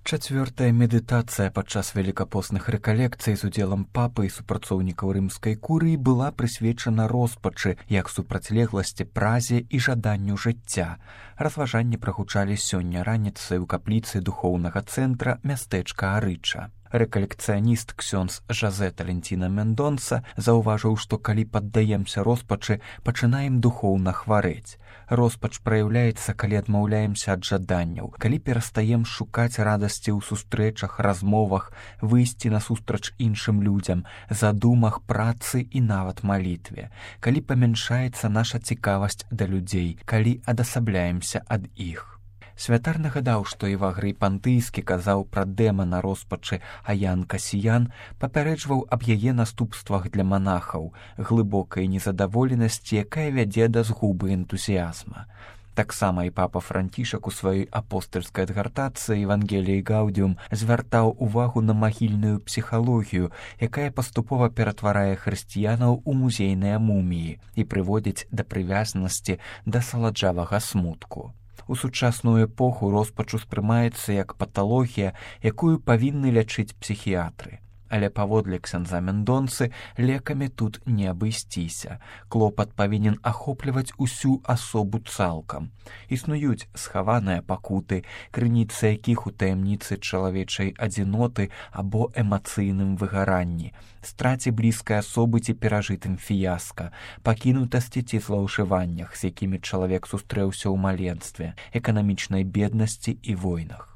Чацвёртая медытацыя падчас велікапосных рэкалекцый з удзелам папы і супрацоўнікаў рымскай курыі была прысвечана роспачы як супрацьлегласці празе і жаданню жыцця. Разважанні прагучалі сёння раніцай у капліцы духоўнага цэнтра мястэчка Арыча. Рэкалекцыяніст ксёндз Жазэ Талентіна Мендонса заўважыў, што калі паддаемся роспачы, пачынаем духоўна хварэць. Роспач праяўляецца, калі адмаўляемся ад жаданняў, калі перастаем шукаць радасці ў сустрэчах, размовах, выйсці насустрач іншым людзям, задумах, працы і нават малітве, калі памяншаецца наша цікавасць да людзей, калі адасабляемся ад іх. Святар нагадаў, што Евагрый Пантыйскі казаў пра дэмана роспачы, а Ян Касіян папярэджваў аб яе наступствах для манахаў, глыбокай незадаволенасці, якая вядзе да згубы энтузіязма. Таксама і папа Францішак у сваёй апостальскай адгартацыі «Евангеліі Гаудіум» звяртаў увагу на магільную псіхалогію, якая паступова ператварае хрысціянаў у музейныя муміі і прыводзіць да прывязанасці да саладжавага смутку. У сучасную эпоху роспач успрымаецца як паталогія, якую павінны лячыць псіхіятры. Але паводле ксяндза Мендонсы лекамі тут не абысціся. Клопат павінен ахопліваць усю асобу цалкам. Існуюць схаваныя пакуты, крыніцы якіх у таямніцы чалавечай адзіноты або эмацыйным выгаранні, страце блізкай асобы ці перажытым фіяска, пакінутасці ці злоўжываннях, з якімі чалавек сустрэўся ў маленстве, эканамічнай беднасці і войнах.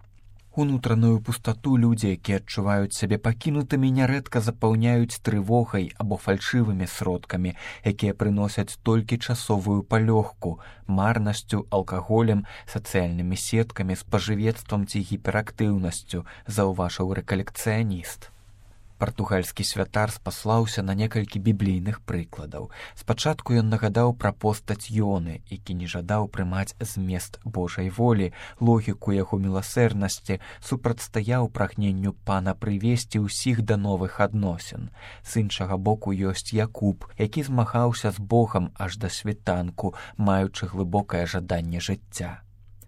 Унутраную пустату людзі, якія адчуваюць сябе пакінутымі, нярэдка запаўняюць трывогай або фальшывымі сродкамі, якія прыносяць толькі часовую палёгку, марнасцю, алкаголем, сацыяльнымі сеткамі, спажывецтвам ці гіперактыўнасцю, заўважыў рэкалекцыяніст. Партугальскі святар спаслаўся на некалькі біблійных прыкладаў. Спачатку ён нагадаў пра постаць Ёны, які не жадаў прымаць змест Божай волі, логіку яго міласэрнасці, супрацьстаяў прагненню пана прывесці ўсіх да новых адносін. З іншага боку ёсць Якуб, які змагаўся з Богам аж да світанку, маючы глыбокае жаданне жыцця.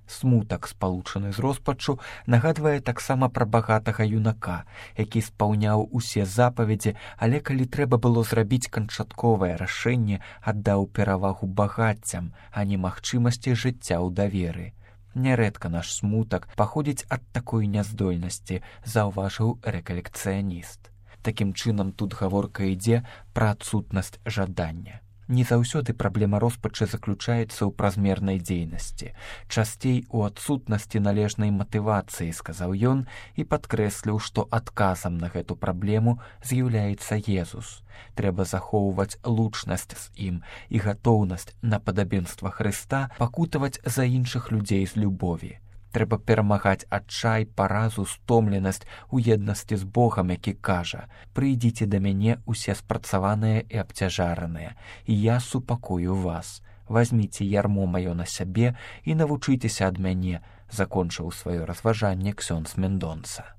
Смутак, спалучаны з роспаччу, нагадвае таксама пра багатага юнака, які спаўняў усе запаведзі, але калі трэба было зрабіць канчатковае рашэнне, аддаў перавагу багаццям, а не магчымасці жыцця ў даверы. Нярэдка наш смутак паходзіць ад такой няздольнасці, заўважыў рэкалекцыяніст. Такім чынам тут гаворка ідзе пра адсутнасць жадання. Не заўсёды праблема роспачы заключаецца ў празмернай дзейнасці. Часцей у адсутнасці належнай матывацыі, сказаў ён і падкрэсліў, што адказам на гэту праблему з'яўляецца Езус. Трэба захоўваць лучнасць з ім і гатоўнасць на падабенства Хрыста пакутаваць за іншых людзей з любові. Трэба перамагаць адчай, паразу, стомленасць у еднасці з Богам, які кажа: «Прыйдзіце да мяне усе спрацаваныя і абцяжараныя, і я супакою вас. Вазьміце ярмо маё на сябе і навучыцеся ад мяне», закончыў сваё разважанне ксёндз Мендонса.